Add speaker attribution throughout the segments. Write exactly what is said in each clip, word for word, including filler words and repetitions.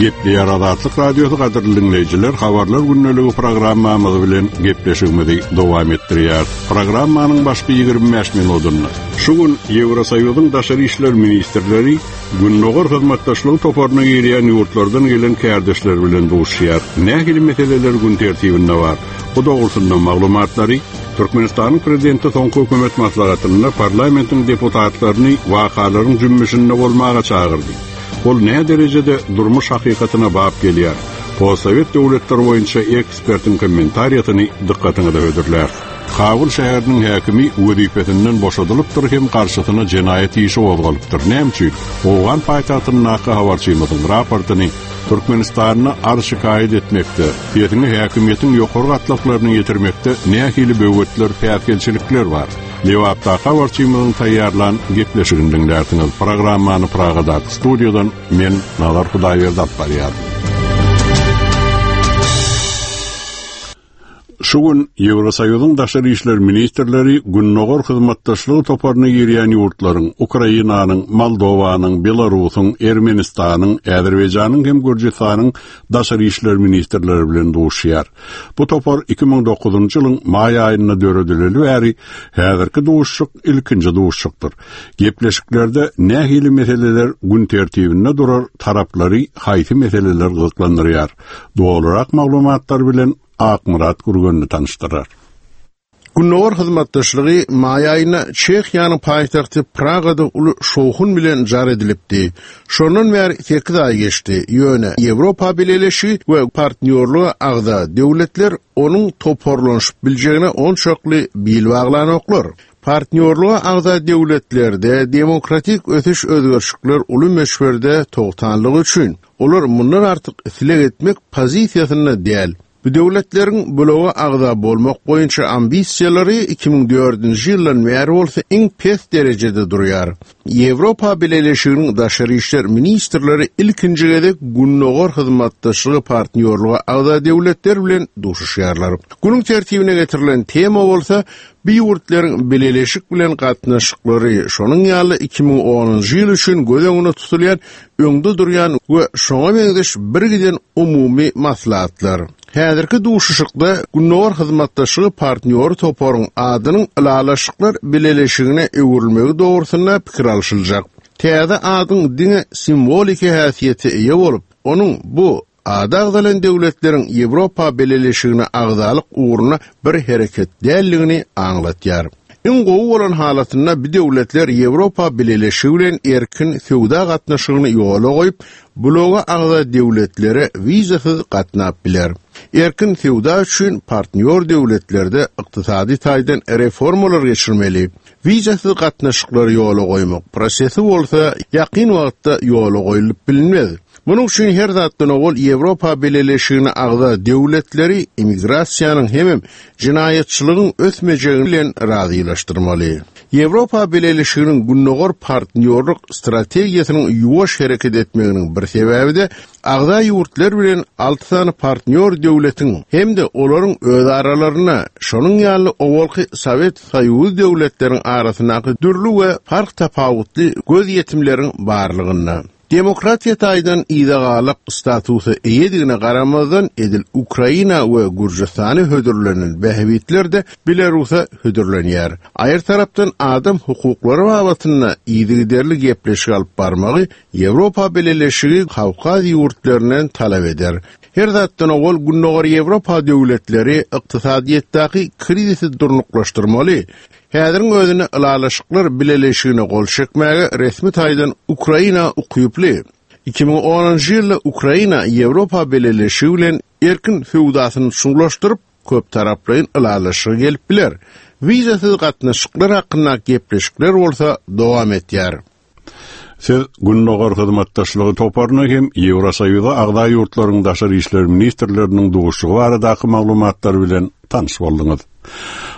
Speaker 1: Gepleýär Azatlyk Radiosy gadyrly dinleýjiler, habarlar gündeligi programmamyz bilen gepleşigimizi dowam etdirýär. Programmanyň başky ýigrimi bäş minutynda şu gün Ýewrosoýuzyň daşary işler ministrleri Gündogar hyzmatdaşlygy toparyna girýän ýurtlardan gelen kärdeşler bilen duşýar. Nähili meseleler gün tertibinde bar? Bu dogrusynda maglumatlary Türkmenistanyň prezidenti soňky hökümet maslahatynda parlamentiň deputatlaryny wakalaryň jümmüşinde bolmaga çagyrdy. Ol nä derejede durmuş hakykatyna bap gelýär? Postsowet döwletleri boýunça ekspertiň kommentariýasyny dykgatyňyza hödürlär. Kabul şäheriniň häkimi wezipesinden boşadylypdyr hem garşysyna jenaýat işi gozgalypdyr. Näme üçin? Owgan paýtagtyndaky habarçymyzyň raportyny Türkmenistanda arz şikaýat etmekde, sesini häkimiýetiň ýokary gatlaklaryna ýetirmekde nähili böwetler, päsgelçilikler bar? Lebapdaky habarçymyzyň taýýarlan gepleşigini diňlärsiňiz. Programmany Pragadaky studiýadan men Nazar Hudaýberdi alyp barýaryn. Şu gün Ýewrosoýuzyň daşary işler ministrleri Gündogar hyzmatdaşlygy toparyna girýän ýurtlaryň Ukrainanyň, Moldowanyň, Belarusyň, Ermenistanyň, Azerbaýjanyň hem Gürjüstanyň daşary işler ministrleri bilen duşýar. Bu topar iki müň dokuzynjy ýylyň maý aýynda döredileli bäri häzirki duşuşyk ilkinji duşuşykdyr. Gepleşiklerde nähili meseleler gün tertibinde durar, taraplary haýsy meseleler gyzyklandyrýar? Dolurak maglumatlar bilen Akmyrat Gürgenli tanyşdyrar.
Speaker 2: Gündogar hyzmatdaşlygy maý aýynda Çehiýanyň paýtagty Pragada uly şowhun bilen jar edilipdi. Şondan bäri sekiz aý geçdi. Ýöne Ýewropa Bileleşigi we partnýorlyga agza döwletler onuň toparlanyşyp biljegine onçakly bil baglanoklar. Partnýorlyga agza döwletlerde demokratik ösüş özgerişikler uly möçberde togtanlygy üçin olar mundan artyk isleg etmek pozisiýasynda däl. Bu döwletleriň bloga agza bolmak boýunça ambisiýalary iki müň dördünji ýyldan bäri bolsa iň pes derejede durýar. Ýewropa Bileleşiginiň daşary işler ministrleri ilkinji gezek Gündogar hyzmatdaşlygy partnýorlyga agza döwletler bilen duşuşýarlar. Günüň tertibine getirilen tema bolsa bu ýurtlaryň bileleşik bilen gatnaşyklary, şonuň ýaly iki müň onunjy ýyl üçin göz öňünde tutulýan öňde durýan we şoňa meňzeş bir giden umumy maslahatlar. Häzirki duşuşykda Gündogar hyzmatdaşlygy partnýory toparyň adynyň ylalaşyklar bileleşigine öwrülmegi dogrusynda pikir alşyljak. Täze adyň diňe simwoliki häsiýete eýe bolup, onuň bu ady agzalan döwletleriň Ýewropa Bileleşigine agzalyk ugruna bir hereket däldigini aňlatýar. Iň gowy bolan halatynda bu döwletler Ýewropa Bileleşigi bilen erkin söwda gatnaşygyny ýola goýup, bloga agza döwletlere wizasyz gatnap biler. Erkin söwda üçin partnýor döwletlerde ykdysady taýdan reformalar geçirmeli. Wizasyz gatnaşyklary ýola goýmak prosesi bolsa ýakyn wagtda ýola goýulyp bilinmez. Munuň üçin her zatdan owal Ýewropa Bileleşigine agza döwletleri immigrasiýanyň hemem jenaýatçylygyň ösmejegi bilen razylaşdyrmaly. Ýewropa Bileleşiginiň Gündogar partnýorlyk strategiýasynyň ýuwaş hereket etmeginiň bir sebäbi de agza ýurtlar bilen alty sany partnýor döwletiň hem-de olaryň öz aralarynda şonuň ýaly owalky Sowet Soýuzy döwletleriň arasyndaky dürli we fark tapawutly gözýetimleriň barlygynda. Demokratiýa taýdan yzagalak statusa eýedigine garamazdan edil Ukraina we Gürjüstany hödürlenen bähbitler de Belarusa hödürlenýär. Aýry tarapdan adam hukuklary babatynda yzygiderli gepleşik alyp barmagy Ýewropa Bileleşigi Kawkaz ýurtlaryndan talap eder. Her zatdan owal Gündogar Ýewropa döwletleri ykdysadyýetdäki krizisi durnuklaşdyrmaly. Häziriň özüne ylalaşyklar bileleşigine gol çekmäge resmi taýdan Ukraina ukyply. iki müň onunjy ýylda Ukraina Ýewropa Bileleşigi bilen erkin söwdasyny çuňlaşdyryp, köp taraplaýyn ylalaşyga gelip biler. Wizasyz gatnaşyklar hakynda gepleşikler bolsa dowam etýär.
Speaker 1: Siz Gündogar hyzmatdaşlygy toparyna hem Ýewrosoýuza agza ýurtlaryň daşary işler ministrleriniň duşuşygy baradaky maglumatlar bilen tanyş bolduňyz.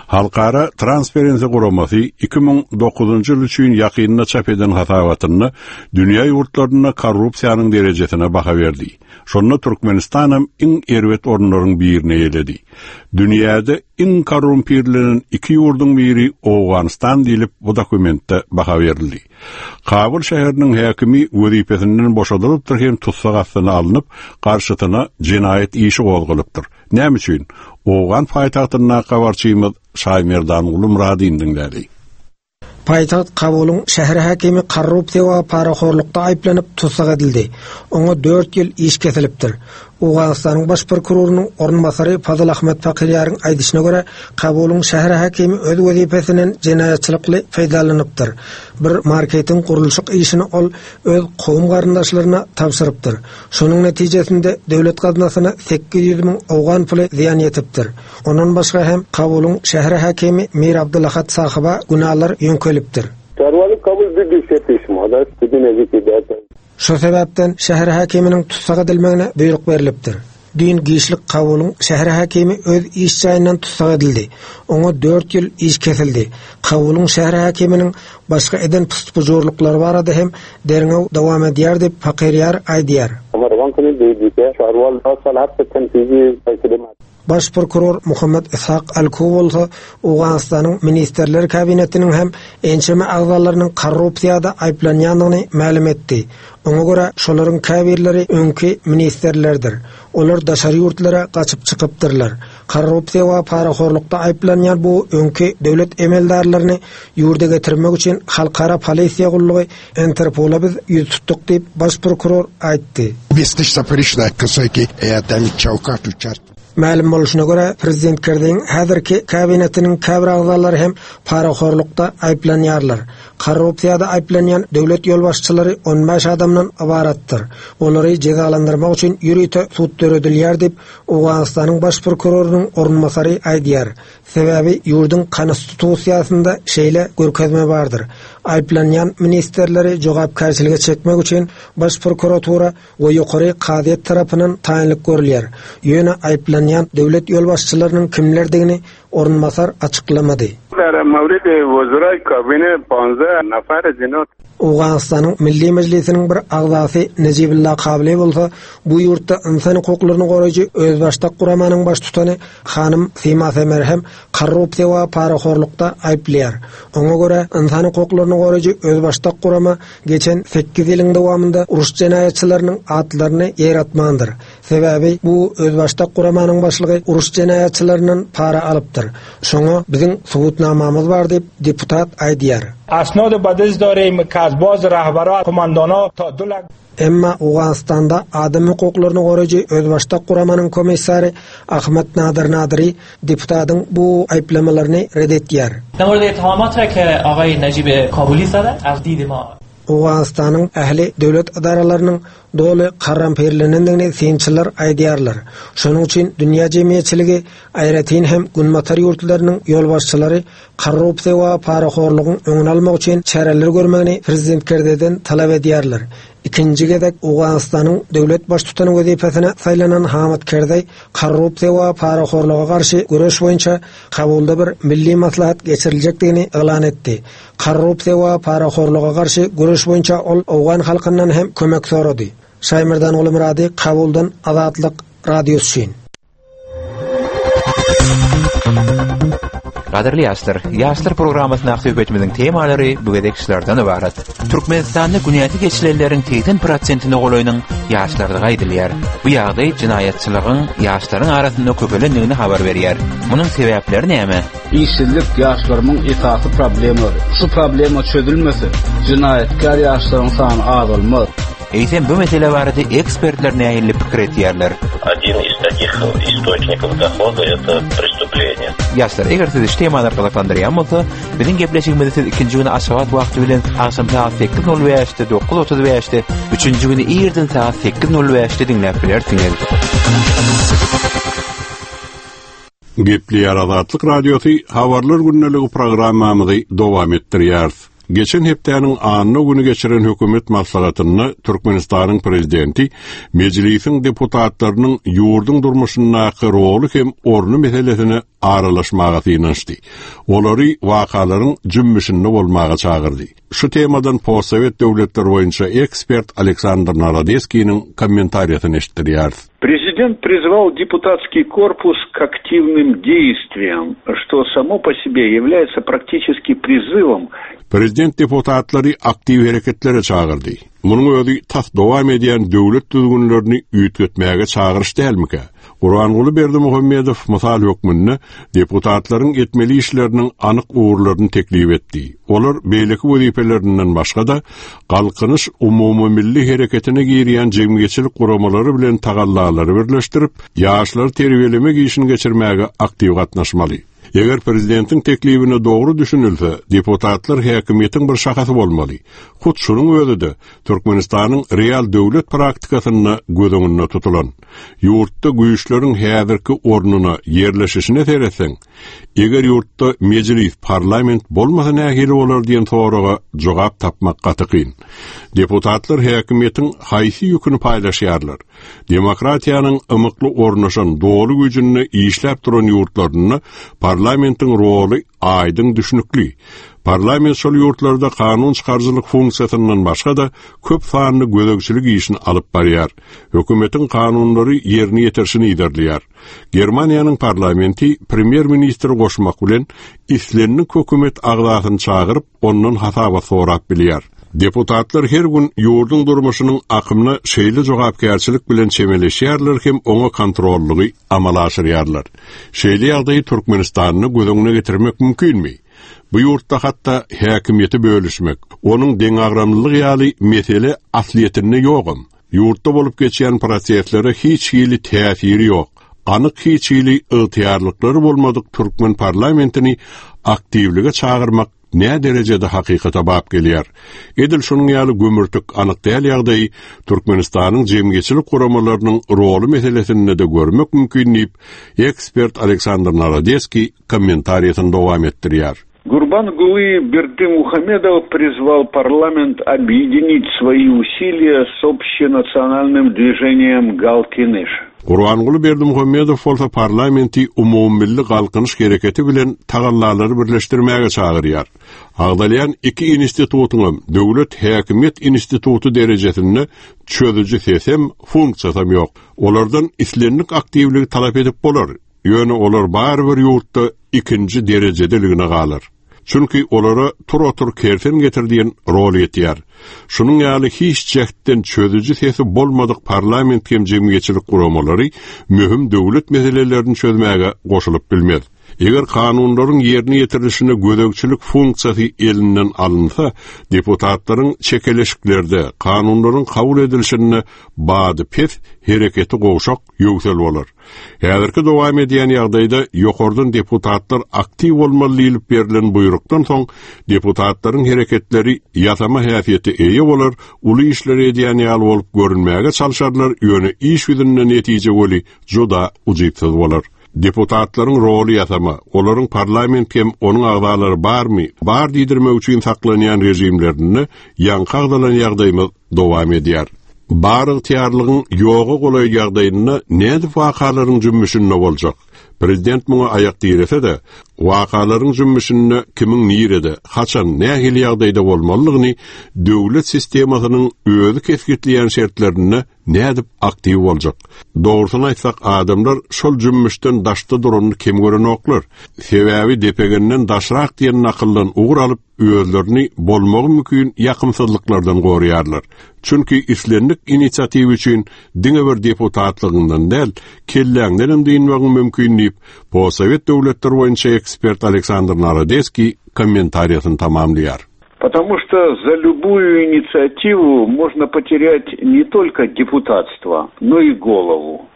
Speaker 1: Halkara Transparency guramasy iki müň dokuzynjy ýyl üçin ýakynda çap eden hasabatynda dünýä ýurtlarynda korrupsiýanyň derejesine baha berdi. Şonda Türkmenistan hem iň erbet orunlaryň birini eýeledi. Dünýäde iň korrumpirlenen iki ýurduň biri Owganystan diýlip bu dokumentde baha berildi. Kabul şäheriniň häkimi wezipesinden boşadylypdyr hem tussag astyna alnyp, garşysyna jenaýat işi gozgalypdyr. Näme üçin? Owgan paýtagtynda habarçymyz Şaýmerdan Muradin diňlädi.
Speaker 3: Paýtagt Kabulyň şäher häkimi korrupsiýa we parahorlukda aýyplanyp tussag edildi. Oňa dört ýyl iş kesilipdir. Owganystanyň baş prokurorynyň orunbasary Fazıl Ahmet Fakirýaryň aýdyşyna görä, Kabulyň şäher häkimi öz wezipesinden jenaýatçylykly peýdalanypdyr. Bir marketiň gurluşyk işini ol öz kowum garyndaşlaryna tabşyrypdyr. Şonuň netijesinde döwlet gaznasyna sekiz ýüz müň owgan puly zyýan ýetipdir. Ondan başga hem Kabulyň şäher häkimi Mir Abdulahat sahiba günalar ýöňkelipdir.
Speaker 4: Çarwaly Kabul bir düşe pişmada, bir nezik eder.
Speaker 3: Şu sebäpden şäher häkiminiň tussag edilmegine buýruk berilipdir. Düýn giçlik Kabulyň şäher häkimi öz iş jaýyndan tussag edildi. Oňa dört ýyl iş kesildi. Kabulyň şäher häkiminiň başga eden pustpujurlyklary barada hem derňew dowam edýär diýip Fakirýar aýdýar. Baş prokuror Muhammed Ishak Alku bolsa Owganystanyň Ministerler Kabinetiniň hem ençeme agzalarynyň korrupsiýada aýyplanýandygyny mälim etdi. Oňa görä şolaryň käbirleri öňki ministerlerdir. Olar daşary ýurtlara gaçyp çykypdyrlar. Korrupsiýa we parahorlukda aýyplanýan bu öňki döwlet emeldarlaryny ýurda getirmek üçin halkara polisiýa gullugy Interpola biz ýüz tutduk diýip baş prokuror aýtdy. Mälim bolşuna görä, Prezident Kerdiň häzirki kabinetiniň käbir agzalary hem parahorlukda aýyplanýarlar. Korrupsiýada aýyplanýan döwlet ýolbaşçylary on bäş adamdan ybaratdyr. Olary jezalandyrmak üçin ýörite sud döredilýär diýip Owganystanyň baş prokurorynyň orunbasary aýdýar. Sebäbi ýurduň konstitusiýasynda şeýle görkezme bardyr. Aýyplanýan ministerleri jogapkärçilige çekmek üçin baş prokuratura we ýokary kazyýet tarapyndan taýynlyk görülýär. Ýöne aýyplanýan döwlet ýolbaşçylarynyň kimlerdigini orunbasar açyklamady. Owganystanyň Milli Mejlisiniň bir agzasy Nejibullah Kabli bolsa bu ýurtda insan hukuklaryny goraýjy özbaşdak guramanyň baştutany hanym Sima Semer hem korrupsiýa we parahorlukda aýyplaýar. Oňa görä insan hukuklaryny goraýjy özbaşdak gurama geçen sekiz ýylyň dowamynda uruş jenaýatçylarynyň atlaryny ýeratmandyr. Sebäbi bu özbaşdak guramanyň başlygy uruş jenaýatçylaryndan para alypdyr. Şoňa biziň subutnamamyz bar diýip deputat aýdýar.
Speaker 5: Asnad badez darim kazbaz rahbara komandona ta du lak
Speaker 3: Emma Owganystanda adam hukuklaryny goraýjy özbaşdak guramanyň komissary Ahmet Nadir Nadiri deputatyň bu aýyplamalaryny red etýär.
Speaker 6: در مورد اتهامات را که آقای نجیب کابولی زدن از دید ما
Speaker 3: Owganystanyň ähli döwlet edaralarynyň doly karrampirlenendigini synçylar aýdýarlar. Şonuň üçin dünýä jemgyýetçiligi aýratyn hem günbatar ýurtlarynyň ýolbaşçylary korrupsiýa we parahorlugyň öňüni almak üçin çäreler görmegini prezident Kerzeden talap edýärler. Ikinji gezek Owganystanyň döwlet baştutany wezipesine saýlanan Hamid Kerzeý korrupsiýa we parahorluga garşy göreş boýunça Kabulda bir milli maslahat geçiriljekdigini yglan etdi. Korrupsiýa we parahorluga garşy göreş boýunça ol Owgan halkyndan hem kömek sorady. Şaýmerdan Gulmurady, Kabuldan Azatlyk Radiosy üçin.
Speaker 7: Gadyrly ýaşlar, ýaşlar programmasyna söhbetimiziň temalary bu gezek şulardan ibarat. Türkmenistanda günäsi geçilenleriň seksen prosentine golaýynyň ýaşlardygy aýdylýar. Bu ýagdaý jenaýatçylygyň ýaşlaryň arasynda köpelendigini habar berýär. Munuň sebäpleri näme?
Speaker 8: Işsizlik ýaşlarymyň esasy problemalary. Şu problema çözülmese, jenaýatkar ýaşlaryň sany azalmaz.
Speaker 7: Eýsem bu mesele barada ekspertler nähili pikir etýärler?
Speaker 9: Один из таких источников дохода это преступление.
Speaker 7: Ýaşlar, eger sizi şu temalar gyzyklandyrýan bolsa, biziň gepleşigimizi siz ikinji güni Aşgabat wagty bilen agşam saat sekiz nol bäşde, dokuz otuz bäşde, üçünji güni irden saat sekiz nol bäşde diňläp bilersiňiz.
Speaker 1: Gepleýär Azatlyk Radiosy habarlar gündeligi programmamyzy dowam etdirýär. Geçen hepdäniň anna güni geçiren hökümet maslahatynda Türkmenistanyň prezidenti mejlisiň deputatlarynyň ýurduň durmuşyndaky roly hem orny meselesine aralaşmaga synanyşdy. Olary wakalaryň jümmüşinde bolmaga çagyrdy. Şu temadan postsowet döwletler boýunça ekspert Aleksandr Narodeskiniň kommentariýasyny eşitdirýäris.
Speaker 10: Президент призвал депутатский корпус к активным действиям, что само по себе является практически призывом.
Speaker 1: Prezident deputatlary aktiw hereketlere çagyrdy. Munuň özi tas dowam edýän döwlet düzgünlerini üýtgetmäge çagyryş dälmikä? Gurbanguly Berdimuhamedow mysal hökmünde deputatlaryň etmeli işleriniň anyk ugurlaryny teklip etdi. Olar beýleki wezipelerinden başga-da Galkynyş umumymilli hereketine girýän jemgyýetçilik guramalary bilen tagallalary birleşdirip, ýaşlary terbiýelemek işini geçirmäge aktiw gatnaşmaly. Eger prezidentiň teklibine dogry düşünilse, deputatlar häkimiýetiň bir şahasy bolmaly. Hut şunuň özi-de Türkmenistanyň real döwlet praktikasynda göz öňünde tutulan. Ýurtda güýçleriň häzirki ornuna ýerleşişine seretseň, eger ýurtda mejlis, parlament bolmasa nähili bolar diýen soraga jogap tapmak gaty kyn. Deputatlar häkimiýetiň haýsy ýüküni paýlaşýarlar? Demokratiýanyň ymykly ornaşan doly güýjünde işläp duran ýurtlarynda parlamentiň roly aýdyň düşünikli. Parlament şol ýurtlarda kanun çykaryjylyk funksiýasyndan başga-da köp sanly gözegçilik işini alyp barýar. Hökümetiň kanunlary ýerine ýetirişini ilerleýär. Germaniýanyň parlamenti premýer-ministri goşmak bilen islendik hökümet agzasyny çagyryp, ondan hasabat sorap bilýär. Deputatlar her gün ýurduň durmuşynyň akymyna şeýle jogapkärçilik bilen çemeleşýärler hem oňa kontrollygy amala aşyrýarlar. Şeýle ýagdaýy Türkmenistanda göz öňüne getirmek mümkinmi? Bu ýurtda hatda häkimiýeti bölüşmek, onuň deňagramlylygy ýaly mesele aslyýetinde ýogam. Ýurtda bolup geçýän proseslere hiç hili täsiri ýok. Anyk hiç hili ygtyýarlyklary bolmadyk türkmen parlamentini aktiwlige çagyrmak ne derejede hakykata bap gelýär. Edil şonuň ýaly gömürtik anyk däl ýagdaýy Türkmenistanyň jemgyýetçilik guramalarynyň roly meselesinde de görmek mümkin diýip, ekspert Aleksandr Narodeskiý kommentariýasyny dowam etdirýär.
Speaker 10: Гурбангулы Бердымухамедов призвал парламент объединить свои усилия с общенациональным движением Галкиныш.
Speaker 1: Gurbanguly Berdimuhamedow bolsa parlamenti umumymilli galkynyş hereketi bilen tagallalary birleşdirmäge çagyrýar. Agdalýan iki institutyň döwlet häkimiýet instituty derejesinde çözüji sesem, funksiýasam ýok. Olardan islendik aktiwligi talap edip bolar. Ýöne olar barybir ýurtda ikinji derejedeligine galar. Çünki olara tur otur kersen getir diýen rol ýetýär. Şunuň ýaly hiç jähtden çözüji sesi bolmadyk parlament hem jemgyýetçilik guramalary möhüm döwlet meselelerini çözmäge goşulyp bilmez. Eger kanunlaryň ýerine ýetirilişine gözegçilik funksiýasy elinden alynsa, deputatlaryň çekeleşiklerde kanunlaryň kabul edilişine bady pes hereketi gowşak ýöwsel bolar. Häzirki dowam edýän ýagdaýda ýokardan deputatlar aktiw bolmaly diýlip berlen buýrukdan soň deputatlaryň hereketleri ýasama häsiýete eýe bolar, uly işleri edýän ýaly bolup görünmäge çalşarlar, ýöne iş ýüzünde netije weli juda ujypsyz bolar. Deputatlaryň roly ýasama, olaryň parlament hem onuň agzalary barmy, bar diýdirmek üçin saklanýan rejimlerinde ýaňky agzalan ýagdaýymyz dowam edýär. Bar ygtyýarlygyň ýoga golaý ýagdaýynda nädip wakalaryň jümmüşinde boljak? Prezident muňa aýak diýrese-de, wakalaryň jümmüşinde kimiň nirede, haçan, nähili ýagdaýda bolmalydygyny döwlet sistemasynyň özi kesgitleýän şertlerinde nädip aktiw boljak? Dogrusyny aýtsak, adamlar şol jümmüşden daşda duranyny kem görenoklar. Sebäbi depegenden daşrak diýen nakyldan ugur alyp, özlerini bolmagy mümkin ýakymsyzlyklardan goraýarlar. Çünki islendik inisiatiw üçin diňe bir deputatlygyndan däl, kelläňden hem diýinmegiň mümkin diýip, postsowet döwletler boýunça ekspert Aleksandr Narodeskiý kommentariýasyny tamamlaýar.
Speaker 10: Потому что за любую инициативу можно потерять не только депутатство, но и голову.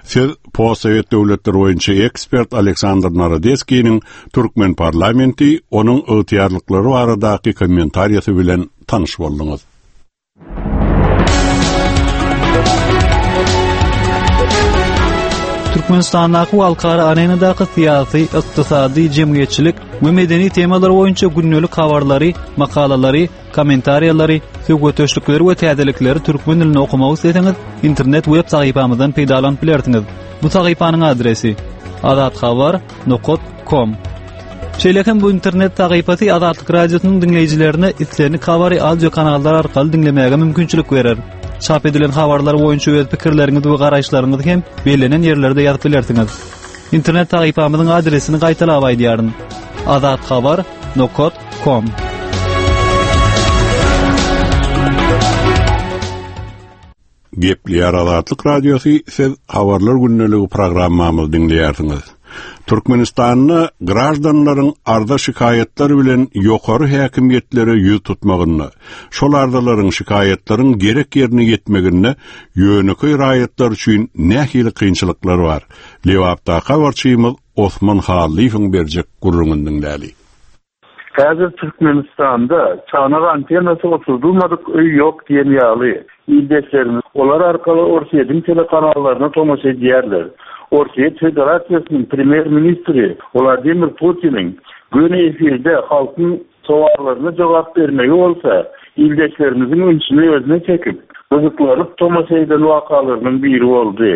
Speaker 1: Siz postsowet döwletler boýunça ekspert Aleksandr Narodeskiniň Türkmen parlamenti onuň ygtyýarlyklary baradaky kommentariýasy bilen tanyş bolduňyz.
Speaker 11: Türkmenistandaky we halkara arenadaky syýasy, ykdysady, jemgyýetçilik we medeni temalar boýunça gündelik habarlary, makalalary, kommentariýalary, söhbetdeşlikleri we täzelikleri türkmen dilinde okumak isleseňiz, internet web sahypamyzdan peýdalanyp bilersiňiz. Bu sahypanyň adresi azathabar nokta com. Şeýle hem bu internet sahypasy Azatlyk Radiosynyň diňleýjilerine islendik habary audio kanallar arkaly diňlemäge mümkinçilik berer. Çap edilen habarlar boýunça öz pikirleriňizi we garaýyşlaryňyzy hem bellenen ýerlerde ýazyp bilersiňiz. Internet sahypamyzyň adresini gaýtalap aýdýaryn. azathabar nokta com.
Speaker 1: Gepleýär Azatlyk Radiosy, siz Habarlar gündeligi programmamyzy diňleýärsiňiz. Türkmenistanda grajdanlaryň arza şikaýatlar bilen ýokary häkimiýetlere ýüz tutmagynda, şol arzalaryň şikaýatlaryň gerek ýerine ýetmeginde ýönekeý raýatlar üçin nähili kynçylyklar bar? Lebapda habarçymyz Osman Hallyýewiň berjek gürrüňini diňläli.
Speaker 12: Häzir Türkmenistanda çanak antennasy oturdulmadyk öý ýok diýen ýaly. Ildeşlerimiz olar arkaly Orsýetiň telekanallaryna tomaşa edýärler. Orsýet Federasiýasynyň premýer-ministri Wladimir Putiniň göni efirde halkyň sowallaryna jogap bermegi bolsa, ildeşlerimiziň ünsüni özüne çekip, gyzyklanyp tomaşa eden wakalarynyň biri boldy.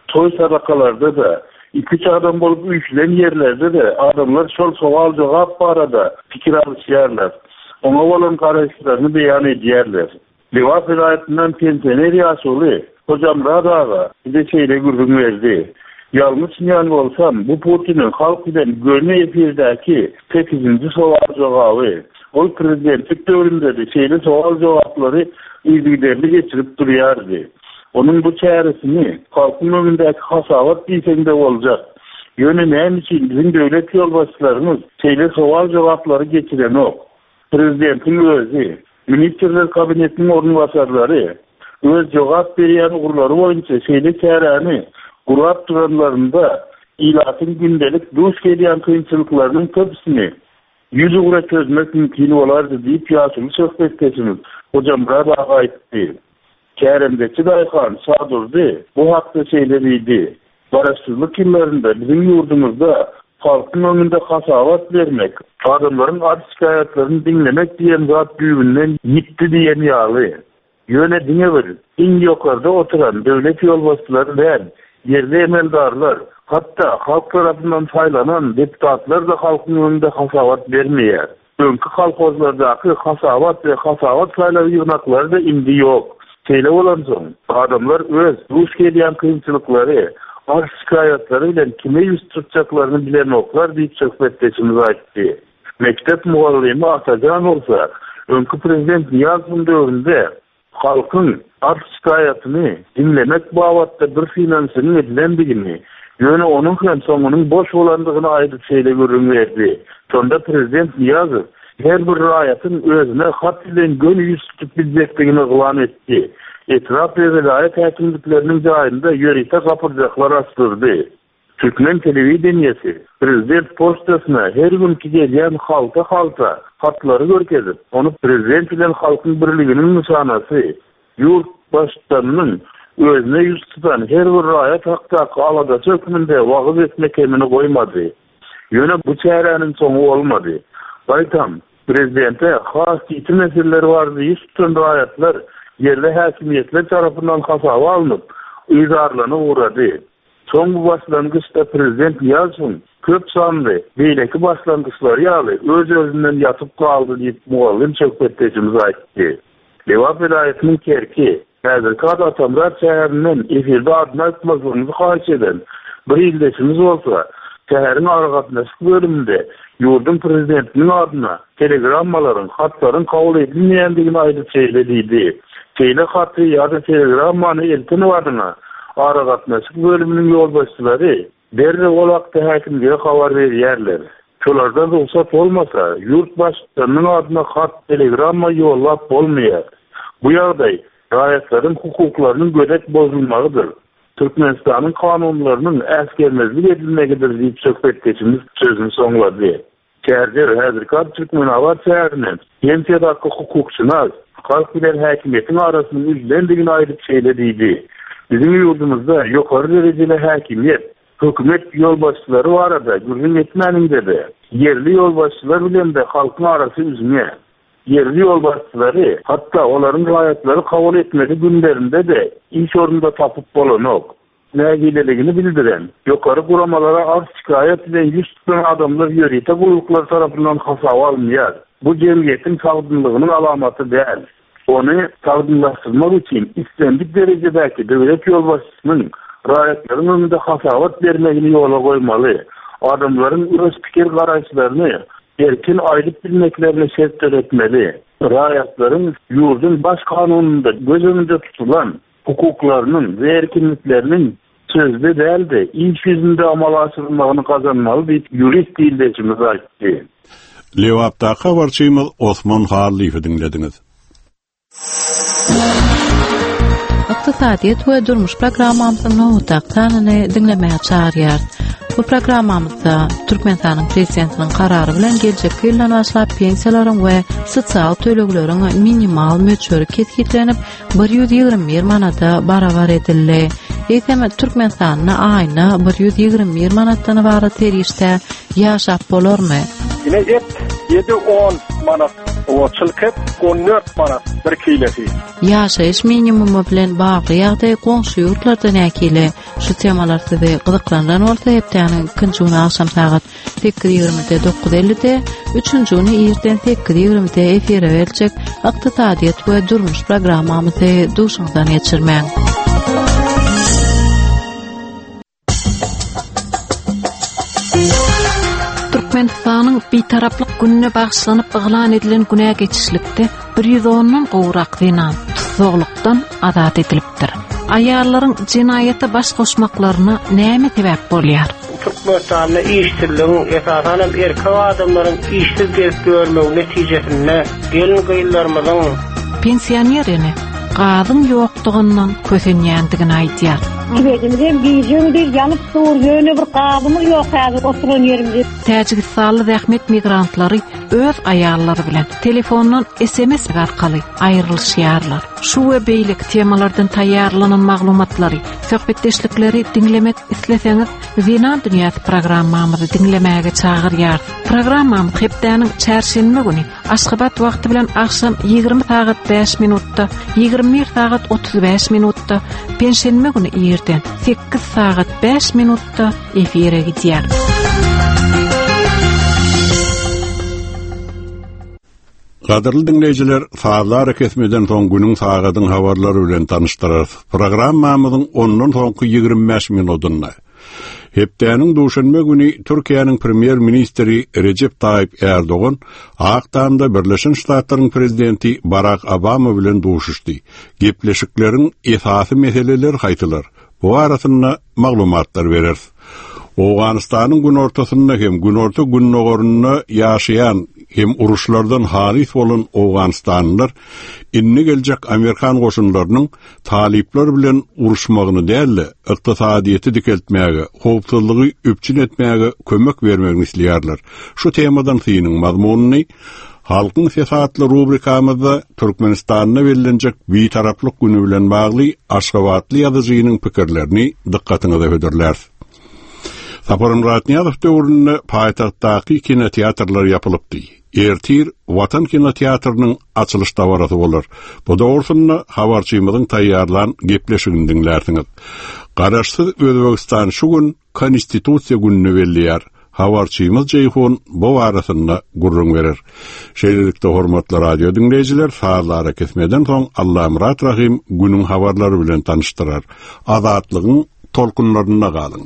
Speaker 12: Toý sadakalarda-da, iki adam bolup üýşülen ýerlerde-de adamlar şol sowal-jogap barada pikir alyşýarlar. Oňa bolan garaýyşlaryny beýan edýärler. Lebap welaýatyndan pensioner ýaşuly Hojamyrat aga bize şeýle gürrüň berdi. Ýalňyşmaýan bolsam, bu Putiniň halk bilen göni efirdäki sekizinji sowal-jogaby. Ol prezidentlik döwründe-de şeýle sowal-jogaplary yzygiderli geçirip durýardy. Onuň bu çäresini halkyň öňündäki hasabat diýseň-de boljak. Ýöne näme üçin biziň döwlet ýolbaşçylarymyz şeýle sowal-jogaplary geçirenok? Prezidentiň özi, ministrler kabinetiniň orunbasarlary öz jogap berýän ugurlary boýunça şeýle çäräni gurap duranlarynda ilatyň gündelik duş gelýän kynçylyklarynyň köpüsini ýüz ugra çözmek mümkin bolardy diýip ýaşuly söhbetdeşimiz Hojamyrat aga aýtdy. Kärendeçi daýhan Şadurdy bu hakda şeýle diýdi. Garaşsyzlyk ýyllarynda biziň ýurdumyzda halkyň öňünde hasabat bermek, adamlaryň arz şikaýatlaryny diňlemek diýen zat düýbünden ýitdi diýen ýaly. Ýöne diňe bir iň ýokarda oturan döwlet ýolbaşçylary däl, ýerli emeldarlar, hatda halk tarapyndan saýlanan deputatlar-da halkyň öňünde hasabat bermeýär. Öňki kolhozlardaky hasabat we hasabat saýlaw ýygnaklary-da indi ýok. Şeýle bolansoň, adamlar öz duş gelýän kynçylyklary, arz şikaýatlary bilen kime ýüz tutjaklaryny bilenoklar diýip söhbetdeşimiz aýtdy. Mekdep mugallymy Atajan bolsa, öňki prezident Nyýazowyň döwründe halkyň arz şikaýatyny diňlemek babatda bir synanyşygyň edilendigini, ýöne onuň hem soňunyň boş bolandygyny aýdyp şeýle gürrüň berdi. Şonda prezident Nyýazow her bir raýatyň özüne hat bilen göni ýüz tutup biljekdigini yglan etdi. Etrap we welaýat häkimlikleriniň jaýynda ýörite gapyrjaklar açdyrdy. Türkmen telewideniýesi prezident poçtasyna her günki gelýän halta-halta hatlary görkezip, ony prezident bilen halkyň birliginiň nyşanasy, ýurt baştutanynyň özüne ýüz tutan her bir raýat hakdaky aladasy hökmünde wagyz etmek kemini goýmady. Ýöne bu çäräniň soňy bolmady. Gaýtam, prezidente has ýiti meseleler bardy ýüz tutan raýatlar ýerli häkimiýetler tarapyndan hasaba alnyp, yzarlanyp ugrady. Soň bu başlangyçda prezident Nyýazowyň köp sanly beýleki başlangyçlary ýaly öz-özünden ýatyp galdy diýip mugallym söhbetdeşimiz aýtdy. Lebap welaýatynyň Kerki, häzirki ady Atamyrat şäherinden efirde adyny aýtmazlygymyzy haýyş eden bir ildeşimiz bolsa, şäheriň aragatnaşyk bölüminde ýurduň prezidentiniň adyna telegrammalaryň, hatlaryň kabul edilmeýändigini aýdyp şeýle diýdi. Şeýle haty ýa-da telegrammany elten badyna aragatnaşyk bölüminiň ýolbaşçylary derrew ol hakda häkimlige habar berýärler. Şolardan rugsat bolmasa, ýurt baştutanynyň adyna hat, telegramma ýollap bolmaýar. Bu ýagdaý raýatlaryň hukuklarynyň gödek bozulmagydyr. Türkmenistanyň kanunlarynyň äsgermezlik edilmegidir diýip söhbetdeşimiz sözüni soňlady. Çärjew häzirki ady Türkmenabat şäherinden pensiýadaky hukukçynas halk bilen häkimiýetiň arasynyň üzülendigini aýdyp şeýle diýdi. Biziň ýurdumyzda ýokary derejeli häkimiýet Hökümet ýolbaşçylary barada gürrüň etmäniňde-de, ýerli ýolbaşçylar bilen-de halkyň arasy üzňe. Ýerli ýolbaşçylary, hatda olaryň raýatlary kabul etmeli günlerinde-de iş ornunda tapyp bolanok. Nägileligini bildiren, ýokary guramalara arz-şikaýat bilen ýüz tutan adamlar ýörite gulluklar tarapyndan hasaba alynýar. Bu jemgyýetiň sagdynlygynyň alamaty däl. Ony sagdynlaşdyrmak üçin islendik derejedäki döwlet ýolbaşçysynyň raýatlaryň öňünde hasabat bermegini ýola goýmaly. Adamlaryň öz pikir garaýyşlaryny erkin aýdyp bilmeklerine şert döretmeli. Raýatlaryň ýurduň baş kanunynda göz öňünde tutulan hukuklarynyň we erkinlikleriniň sözde däl-de iş ýüzünde amala aşyrylmagyny gazanmaly diýip ýurist ildeşimiz aýtdy.
Speaker 1: Lebapdaky habarçymyz Osman Hallyýewi diňlediňiz.
Speaker 13: Ykdysadyýet we durmuş programmamyzyň nobatdaky sanyny diňlemäge çagyrýarys. Bu programmamyzda Türkmenistanyň prezidentiniň karary bilen geljekki ýyldan başlap pensiýalaryň we sosial tölegleriň minimal möçberi kesgitlenip bir ýüz ýigrimi bir manata barabar edildi. Eýsem Türkmenistanda aýyna bir ýüz ýigrimi bir manatdan ybarat serişde ýaşap bolarmy?
Speaker 14: Ine et ýedi on manat, o çylk et on dört manat bir kilesi.
Speaker 13: Ýaşaýyş minimumy bilen bagly ýagdaý goňşy ýurtlarda nähili? Şu temalar sizi gyzyklandyran bolsa hepdäniň ikinji güni agşam sagat sekiz ýigrimide dokuz ellide, üçünji güni irden sekiz ýigrimide efire beriljek ykdysadyýet we durmuş programmamyzy duşuňyzdan geçirmäň.
Speaker 15: Türkmenistanyň Bitaraplyk gününe bagyşlanyp yglan edilen günä geçişlikde bir ýüz ondan gowrak zenan tussaglykdan azat edilipdir. Aýallaryň jenaýata baş goşmaklaryna näme sebäp bolýar?
Speaker 16: Türkmenistanda işsizligiň, esasan hem erkek adamlaryň işsiz gezip ýörmegi netijesinde gelin gyzlarymyzyň
Speaker 15: pensioner ene gazyň ýokdugyndan kösenýändigini aýdýar.
Speaker 17: Tübedimiz hem gije-gündiz ýanyp dur, ýöne bir gazymyz ýok häzir oturan ýerimizde.
Speaker 15: Täjigistanly zähmet migrantlary öz aýallary bilen telefondan S M S arkaly aýrylyşýarlar. Şu we beýleki temalardan taýýarlanan maglumatlary, söhbetdeşlikleri diňlemek isleseňiz, Zenan Dünýäsi programmamyzy diňlemäge çagyrýarys. Programmamyz hepdäniň çarşenbe güni Aşgabat wagty bilen agşam ýigrimi sagat bäş minutda, ýigrimi bir sagat otuz bäş minutda, penşenbe güni irden sekiz sagat bäş minutda efire gidýär.
Speaker 1: Gadyrly diňleýjiler, sazlar kesmeden soň günüň sagadyň habarlary bilen tanyşdyrarys. Programmamyzyň ondan soňky ýigrimi bäş minutynda Hepdäniň duşenbe güni Türkiýäniň premýer-ministri Recep Tayyip Erdogan Ak Tamda Birleşen Ştatlaryň prezidenti Barack Obama bilen duşuşdy. Gepleşikleriň esasy meseleleri haýsylar? Bu arasynda maglumatlar bereris. Owganystanyň günortasynda hem günorta gündogarynda ýaşaýan hem uruşlardan halys bolan Owganistanlylar indi geljek Amerikan goşunlarynyň talyplar bilen uruşmagyny däl-de, ykdysadyýeti dikeltmäge, howpsuzlygy üpjün etmäge kömek bermegini isleýärler. Şu temadan synyň mazmunyny Halkyň Sesi atly rubrikamyzda Türkmenistanda bellenjek Bitaraplyk günü bilen bagly Aşgabatly ýazyjynyň pikirlerini dykgatyňyza hödürläris. Saparmyrat Nyýazow döwründe paýtagtdaky kinoteatrlar ýapylypdy. Ertir Watan kinoteatrynyň açylyş dabarasy bolar. Bu dogrusynda habarçymyzyň taýýarlan gepleşigini diňlärsiňiz. Garaşsyz Özbegistan şu gün Konstitusiýa gününi belleýär. Habarçymyz Jeýhun bu arasynda gürrüň berer. Şeýlelikde hormatly radio diňleýjiler, sazlara kesmeden soň Allamyrat Rahim günüň habarlary bilen tanyşdyrar. Azatlygyň tolkunlarynda galyň.